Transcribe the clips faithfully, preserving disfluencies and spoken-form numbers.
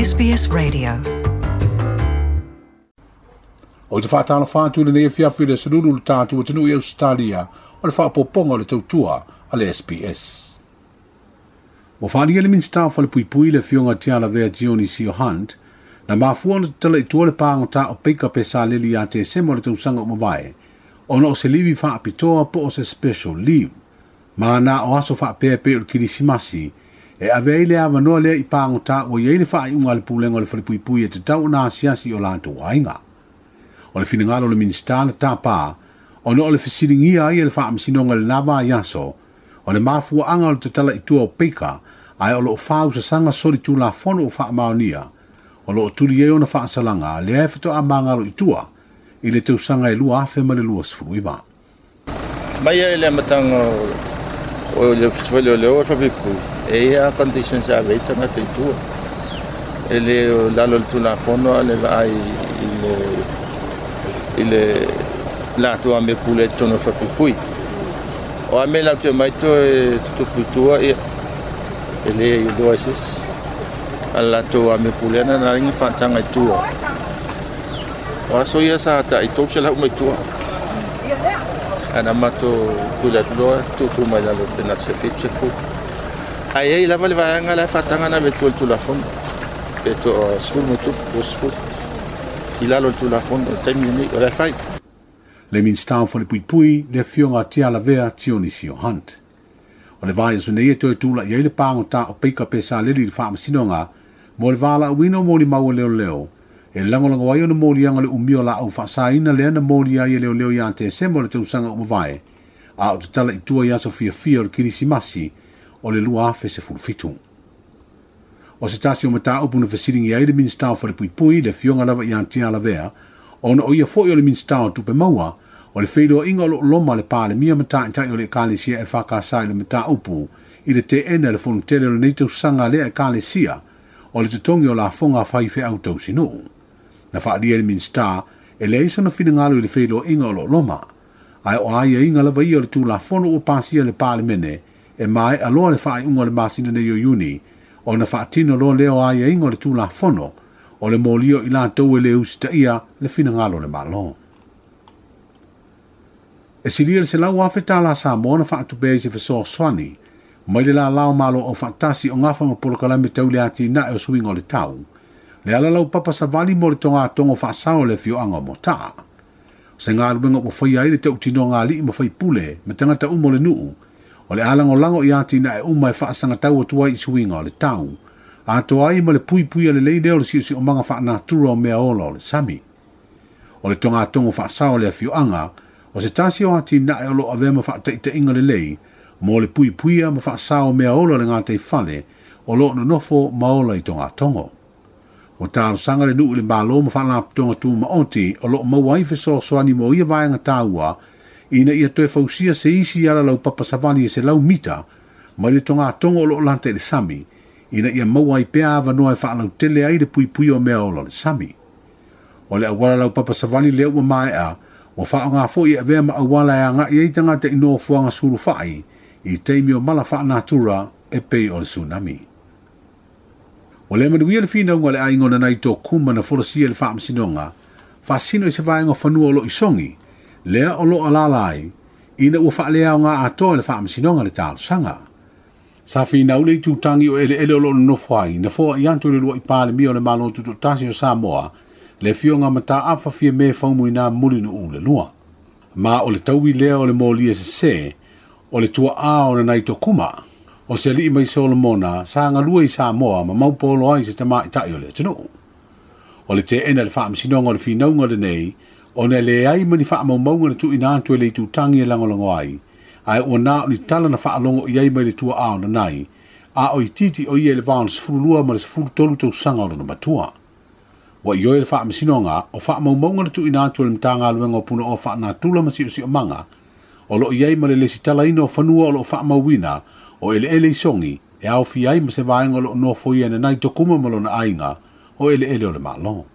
S B S Radio. O te whaatala whātu le nei fiafi le salulu le tātu o te nui Australia o le whaapoponga o le tautua a le S B S. Wa whaalia le Minista o le Puipui le fionga Tialavea Dionisio Hunt na mafua na tala i tua le pāngata o peika pe sa leli a te semo le tausanga o mavae ona o se livi whaapitoa po o se special leave. Ma na o aso whaapea pe o le kirisimasi e ave ai le awanoa lea i pāngata o iei le whaaiunga le pulenga o le whalepuipui e te tau na asiasi o lātou aiga. O le finagalo le Minista na tāpā, ona o le fesilingia ai e le whaamasinonga le nava ai aso, o le mafuaanga o le tatala i tua o peika, ai o loo whau sasanga sori tū la fono o whaamaonia, o loo tuli e ona whaasalanga lea e whatoa mangalo i tua, i le tausanga e lua afe ma le lua sefuluiva. Mai e le matanga o le festival o le o whapipui, e ia conditions a vei tangata i tua. E le lalo le tū la fono a le vaai i le i le lātou a me pule tono whapipui. O a me lātou mai to e tutupu i tua ia, e le i loa sis. A lātou a me pule ana nā ringa whaatanga i tua. O aso ia sa hata i tō se lau mai tua. Ana mato pule atu loa, tūtū mai lalo te nā se whitu se futu. Ai ei lava le vaeanga la whaatanga na me tua le tulafono. Pe to o sfulu mo tupu, o sfulu. I lalo le tulafono, o taimi nei, o le whai. Le Minista o le Puipui, le fionga Tialavea Dionisio Hunt. O le vai aso nei e toe tūla i ai le pāngota o peika pe sa leli le whaamasinonga, mo le wāla uino mo le maua leo leo, e langolango ai o na mōlianga le umio la au whaasaina lea na mōlia ai e leo leo i a te semo le tausanga o mavae, a o te tala i tua i aso fiafia o le kirisimasi o le lua afe se fulufitu. O se tasi o mataupu na fesilingi ai le Minista o le Puipui, le fionga lava i a Tialavea, ona o ia foi o le Minista o Tupe Maua, o le wheiroa inga o lo loma le pāle mia mataitai o le ekalesia e whakasai le mataupu, i le te ena le fonotele o le nei tausanga lea ekalesia, o le totongi o la fonga whai wheau tausinuu. Na whaalia le Minista, e le eiso na whinangalo i le wheiroa inga o lo loma, ai o aia inga lava ia o le tū la fono o pasia le pāle mene, e mai aloa le whaaiunga o le masina nei o Iuni, o na whaatino loa leo aia inga o le tū la fono, o le mōlio i lātou e le usita ia le whinangalo le malo. E silia le se lau afe tā la Samoa na whaatupea i se whasoaswani, mai le la lao malo o whaatasi o ngawha ma polokalame tau le ati nae o suinga o le tau, le ala lau papa savali mo le tonga tongo whaasao le fioanga mo taa. Se ngā ruenga o whai ai le tau tino ngā lii ma whai pule, me tangata umo le nuu, o le alango lango i ati nae uma e whaasanga tau atu ai i suinga o le tau, a toa ai ma le pui pui a le leide o le sio sio manga whaanatura o mea ola o le sami. O le tonga tongo whaasao le fioanga, o se tasi o ati nae o lo avea ma whaataitainga le lei, mo le pui puia ma whaasao mea ola le ngā tei whale, o lo nonofo ma ola i tonga tongo. O tāro sanga le nuu le malo ma whaalaputonga tū maoti o lo maua ai fesoasoani mo ia vaenga tāua, ina ia toe fausia se isi ala lau papa savani e se lau mita, mai le tonga tongo o lo lanta i le sami, ina ia maua ai pea awanoa e whaalautele ai le pui pui o mea ola le sami. O le awala lau papa savani le ua maea, o whaonga fo i avea ma awala e anga i tangata i noa fuanga suru whai, i teimi o mala whaanatura e pei o le tsunami. O le manuia le whinaunga le aingo na nei tō kuma na forosia le whaamasinonga, whaasino i se vaenga whanua o lo isongi, lea o lo alala ai, ina ua whaalea o ngā atoa le whaamasinonga le tālosanga. Sa whinau le tūtangi o ele ele o lo nofo ai, na foa i anto le lua i pāle mia o le malo tutotasi o Samoa, le fionga mata awha fia me whaumu i nā muli no u le lua. Ma o le taui lea o le mōlia se se, o le tua a o na nei tō kuma, o se alii mai Solomona, sa ngalua i Samoa ma maupolo ai se tama i tai o le atunuu. O le te ena le whaamasinonga o le whinaunga le nei, o ne le ai mani whaamaumaunga le tuina atu e le tūtangi e langolango ai, ai o nā o ni tala na whaalongo i ai mai le tua ao na nai, a o i titi o ia le vaon sefulu lua ma le sefulu tolu tausanga o lona matua. Wa i oi le whaamasinonga o whaamaumaunga le tuina atu e le mtanga aluenga o puna o whaanatula ma sio sio manga, o lo i ai ma le lesi talaina o whanua o lo whaamauina, o ele ele i songi, e au fi ai ma se vaenga o lo nofo ia na nai tokuma ma lona ainga, o ele ele o le malo.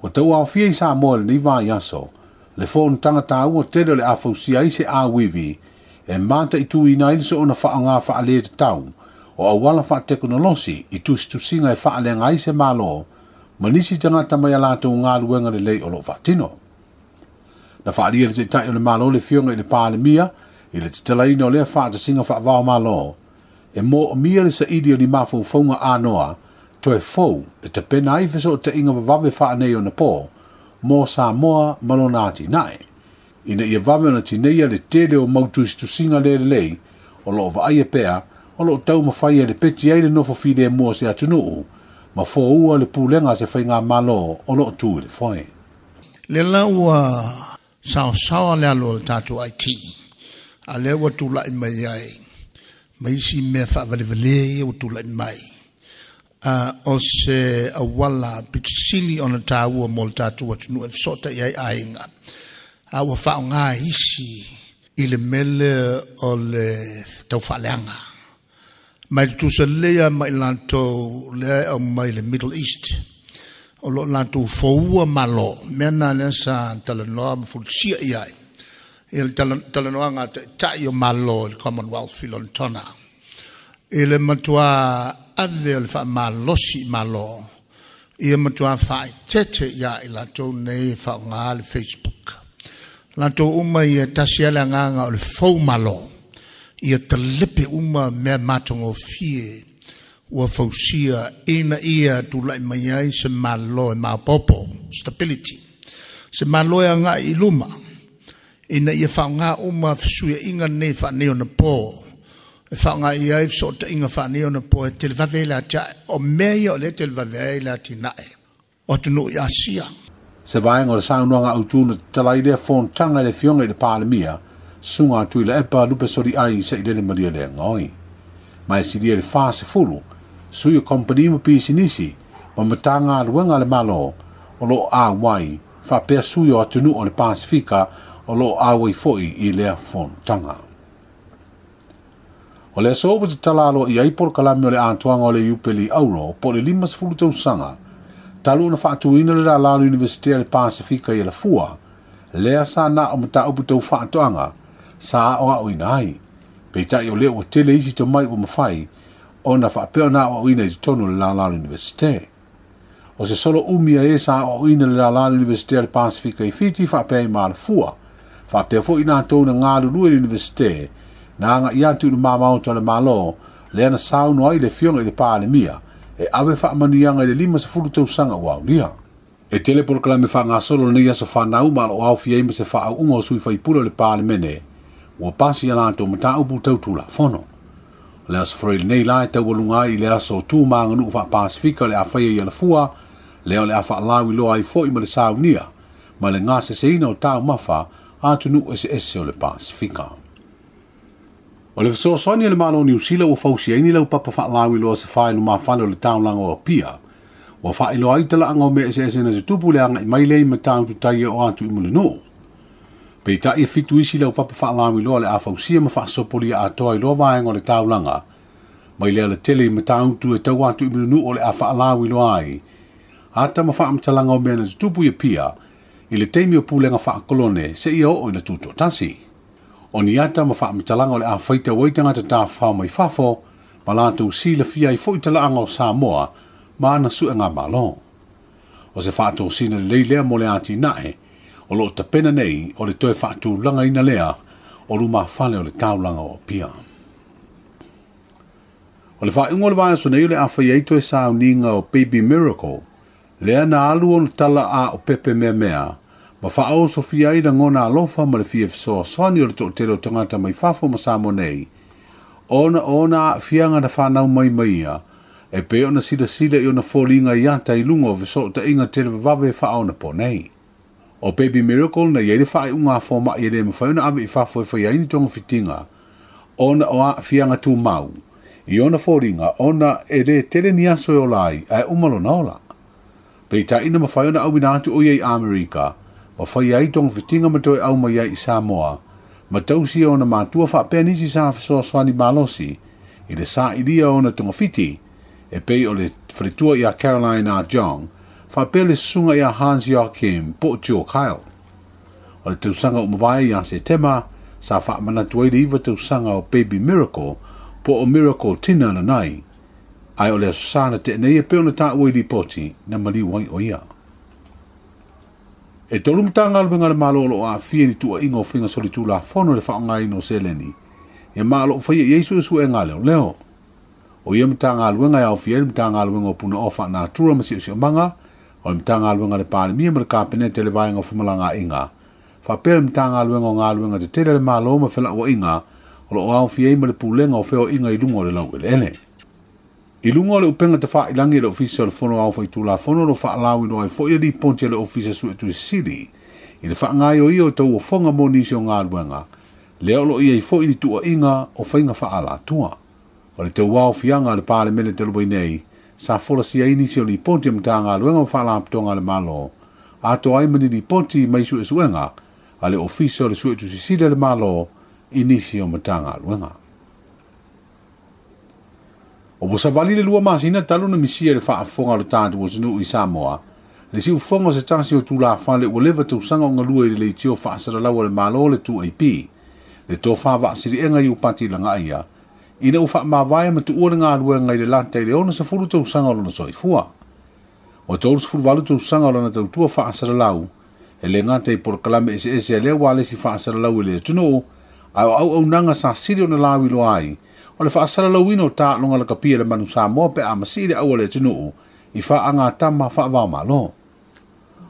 O tau au fia i Samoa le nei vai aso, le fōnu tangata ua tele o le awhausia ai se awiwi, e mata i tū ina i le so ona whaanga whaalea te tau, o auala faatekonolosi i tusitusiga e faaleaga ai se malo ma nisi tagata mai a latou galuega lelei o loo faatino. Na faalia le taita'i o le malo le fioga i le Palemia i le tatalaina o lea faatasiga faavao malo e moomia le saili o ni mafaufauga anoa toe fou e tapena ai fesootaiga vavave faanei ona po mo Samoa ma lona atinae ina ia vave ona tineia le tele o mau tusitusiga le lelei o loo vaaia pea o loo taumafai e lepeti ai le nofo filemu o se atunuu ma foua le pulega se faiga malo o loo tu i le foe. Le la ua saosaoa le alo o le tatou I T a lea ua tula'i mai ai ma isi mea faavalevalē ia ua tula'i mai o se auala pitusili ona tāua mo le tatou atunuu e feso'ota'i ai aiga a ua faaaogā isi i le mele o le taufaaleaga mai tutusa lelei a ma i latou lea e aumai le Middle East o loo latou foua malo mea na lea sa talanoa ma fulisia i ai ia le talanoaga a taʻitaʻi o malo i le Commonwealth i Lonetona i le matuā ave o le faamalosi i malo ia matuā faaetete ia i latou nei e faaaogā le Facebook latou uma ia tasi le agaga o le fou malo ia talepe uma mea matagofie ua fausia ina ia tula'i mai ai se malo e maopopo stability se malo e aga'i i luma ina ia faaaogā uma fesuia'iga nei faanei ona po e faaaogā i ai feso'ota'iga faanei ona po e televave ai le atia'e o mea ia o lea televave ai le atina'e o atunuu i Asia. Se vaega o le saunoaga autū na tatalai lea fonotaga i le Afioga i le Palemia susuga atu i le epa lupe soli ai se'i lele malia le gaoi. Ma e silia le fasefulu sui o kompani ma pisinisi ma matagaluega a le malo o loo auai faapea sui o atunuu o le Pasifika o loo auai fo'i i lea fonotaga. O le aso ua tatala aloaia ai polokalame o le atoaga o le Iupeli Auro po o le limasefulu tausaga talu ona faatuina le lālā o le Iunivesite a le Pasifika i Alafua lea sa na o mataupu tau faatoaga sa aoaoina ai. Peitai o lea ua tele isi tomai ua mafai ona faapea ona aoaoina i totonu o le lālā o le Iunivesite. O se solo umi a e sa aoaoina le lālā o le Iunivesite a le Pasifika i Fiti faapea i Malafua faapea fo'i latou na galulue i le Iunivesite na aga'i atu i le mamaoto a le malo lea na saunoa ai le Afioga i le Palemia e ave faamanuiaga i le limasefulu tausaga ua aulia. E tele polokalame faagasolo lenei aso fanau ma o loo aofia ai ma se faauuga o sui faipule o le Palemene ua pasi a latou mataupu tau tulafono. O le aso Faraile nei la e taualuga ai i le aso tu ma aganuu faapasifika o le a faia i Alafua lea o le a faalauiloa ai fo'i ma le saunia ma le gaseseina o taumafa a atunuu eseese o le Pasifika. O le fesoasoani a le Malo o Niu Sila ua fausia ai ni laupapa faalauiloa se fae lumafale o le taulaga o Apia ua faailoa ai talaaga o mea eseese na tutupu le aga'i mai lea i matautu tai e o atu i Mulinuu. Peitai e fitu isi laupapa faalauiloa le a fausia ma faasopolia atoa i loa vaega o le taulaga mai le alatele i matautu e tau atu i Mulinuu o le a faalauiloa ai ata ma faamatalaga o mea na tutupu i Apia i le taimi o pulega faakolone seia oo ina tutoatasi. O ni ata ma faamatalaga o le a faitau ai tagata tafafao mai fafo ma latou silafia ai fo'i talaaga o Samoa ma ana suega malo. O se faatosina lelei lea mo le atinae o loo tapena nei o le toe faatulagaina lea o lumafale o le taulaga o Apia. O le faaiuga o le vaiaso nei o le a faia ai toe sauniga o Baby Miracle lea na alu ona tala a o pepe meamea ma faaosofia ai lagona alofa ma le fia fesoasoani o le toatele o tagata mai fafo ma Samoa nei ona ona aafiaga na fanau mai mai ia e pei ona silasila i ona foliga i ata i luga o fesootaiga televavave faaonapo nei. O Baby Miracle na iai le faaiuga a foma'i e lē mafai ona ave i fafo e faia ai ni togafitiga ona o aafiaga tumau i ona foliga ona e lē tele ni aso e ola ai ae uma lona ola. Peitai na mafai ona auina atu o ia i Amerika ma faia ai togafitiga ma toe au mai ai i Samoa ma tausia ona matua faapea nisi sa fesoasoani malosi i le sa'ilia ona togafiti e pei o le faletua ia Caroline A. Jong faapea le susuga ia Hans Joachim po o Joe Kyle. O le tausaga ua mavae ia Setema sa faamanatu ai le iva tausaga o Baby Miracle Po o Miracle Tina Nanai, ai o le aso sa na te nei e peo na tāua i lipoti na maliu ai o ia. E tolu matagaluega a le Malo o loo aafia i ni tuuaiga o faiga solitulafono le faaaogaina o seleni, ia ma o loo faia i ai suesuega a leoleo. O ia matagaluega e aofia ai le Matagaluega o Punaoa Faanatura ma Siosiomaga, o le Matagaluega a le Palemia ma le Kapeneta i le Vaega o Femalagaaiga, faapea le Matagaluega o Galuega Tetele a le Malo ma Felauaiga o loo aofia ai ma le Pulega o Feoaiga i luga o le laueleele. I luga o le upega tafailagi e le Ofisa o le Fono Aoao Faitulafono o lo faalauiloa ai foi le lipoti a le Ofisa Suetusi i le faagaoioia o tauofoga mo nisi o galuega, lea o loo i ai foi ni tuuaiga o faiga faaalatua. O le tauaofiaga a le Palemene talu ai nei, sa folasia ai nisi o lipoti a Matagaluega ma Faalapotopotoga a le Malo, atoa ai ma ni lipoti mai suesuega a le Ofisa o le Suetusi a le Malo i nisi o Matagaluega. O ua savali le lua masina talu na misia le faafofoga o le tatou atunuu i Samoa, le siufoga o se tasi o tulafale ua leva tausaga o galue i le leitio faasalalau a le Malo le two A P, le tofa vaasiliega i Iupati Lagaia, ina ua faamavae ma tuua le galuega i le lata i le ono sefulu tausaga o lona soifua. Ua tolu sefulu valu tausaga o lona tautua faasalalau, e le gata i polokalame eseese a lea ua alesi faasalalau i le atunuu, ae o auaunaga sa sili ona lauiloa ai, o le faasalalauina o taaloga lakapi a le manu Samoa pe a masii le au a le atunuu i faagatama faavaomalo.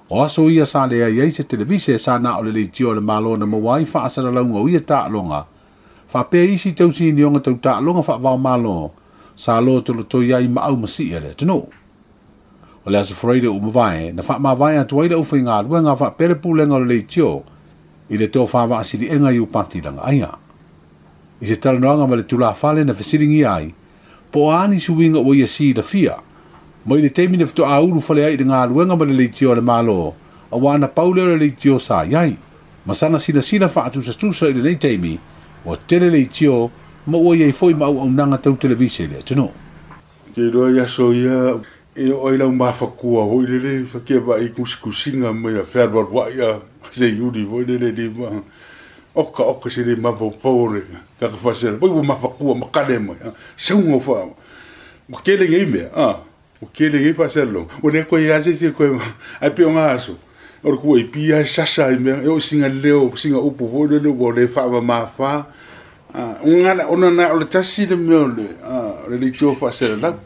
O aso ia sa leai ai se televise sa na o le leitio a le Malo na maua ai faasalalauga o ia taaloga, faapea isi tausinioga tau taaloga faavaomalo sa lotolotoi ai ma au masii a le atunuu. O le aso Friday ua mavae na faamavae atu ai le aufaigaluega faapea le pulega o le leitio i le tofa vaasiliega i Iupati Lagaia. I se talanoaga ma le tulafale na fesiligia ai, po o a ni suiga ua ia silafia mai le taimi na faatoa ulufale ai i le galuega ma le leitio a le Malo, auā na pau lea o le leitio sa i ai. Ma sana silasila faatusatusa i lenei taimi, ua tele leitio ma ua i ai foi ma auaunaga tau televise i le atunuu. Ke iloa i aso ia e oo ai lau mafakua foi lele fakia vaai kusikusiga mai a fealualuai a se iuli foi lele lima oka oka se le mafaufau o le kakafasela poi ua mafakua ma kale mai sauga faa ua kele nei mea a ua kele nei faasalaloga ua le koe a se se koe ai pe o ngā aso o le kua i pia e sasa i mea e o singa leo singa upu foi lele ua le faavamafā ona ona na o le tasi le mea o le o le leitio faasalalau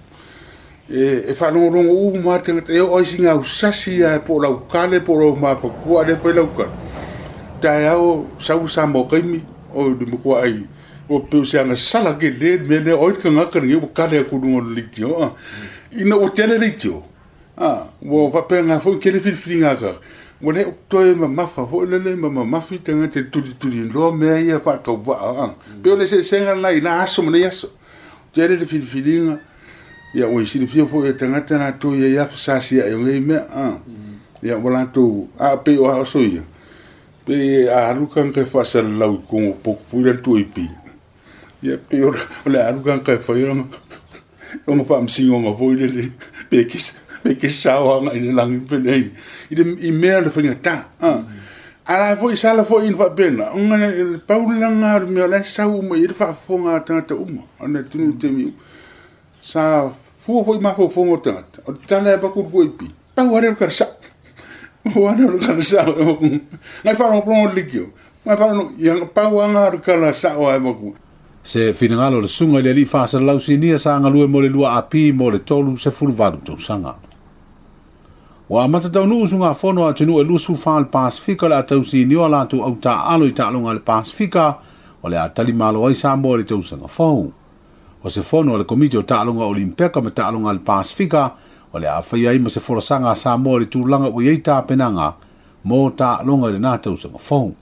e e faalogologo uma tagata e oo ai singa ausasi ae po o lau kale po o lau mafakua a le fai lau kale taeao sau sa mo kaimi o le makuaʻai ua peu se agasala kele le mea lea oi le kagaka lenei ua kale aku luga o le leitio a ina ua tele leitio a ua faapega foi kele filifiliga ka ua le toe mamafa foi lele ma mamafi tagata i le tulituliloa mea ia faatauvaa a pe o le eseesega lena i la aso ma nei aso tele le filifiliga ia ua silafia foi e tagata latou ia ia fasasiaʻi o nei mea a ia ua latou a pei o aso ia pe a alu kanga e faasalalau i kogo pokupui le tuaipi ia pe o le alu kanga e fai ona ona faamasinoga foi lele pe kisa pe kisa o aga i le lagi pe nei i le i mea le faigatā a ala foi sala foi ina faapena ona le pau lena o le mea o la e sau uma i ai le faafofoga a tagata uma ona atunuu i taimi sa fua foi mafaufauga o tagata o le tala e paku le kuaipi pau lea o le kalasa o ana o le kalasa ngai faalogologo le leitio ngai faalogo ia pau aga o le kala sao ai maku. Se finagalo le susuga i le alii faasalalau sinia sa galue mo le lua api mo le tolu sefulu valu tausaga. Ua amata taunuu usugafono a atunuu e luasefulu fa le Pasifika o le a tausinioa latou autaaalo i taaloga a le Pasifika o le a talimalo ai Samoa i le tausaga fou. O se fono a le Komiti o Taaloga Olimpeka ma Taaloga a le Pasifika o le a faia ai ma se folasaga a Samoa i le tulaga ua i ai tapenaga mo taaloga i lena tausaga fou.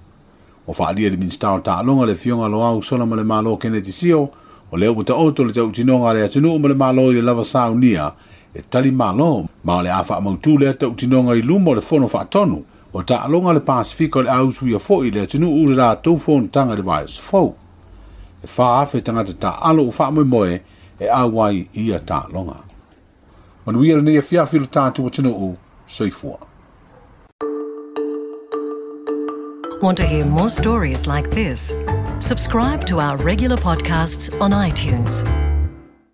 Ua faaalia le Minisita o Taaloga le Afioga Loau Solamalemalo Keneti Sio, o lea ua taoto le tautinoga a le atunuu ma le Malo i le lava saunia e tali malo, ma o le a faamautu lea tautinoga i luma o le fono faatonu o taaloga le Pasifika o le a usuia foi le atunuu le latou fonotaga i le vaiaso fou. E fa afe tagata taaalo ua faamoemoe e auai i ia taaloga. Manuia lenei afiafi le tatou atunuu, soifua. Want to hear more stories like this? Subscribe to our regular podcasts on iTunes.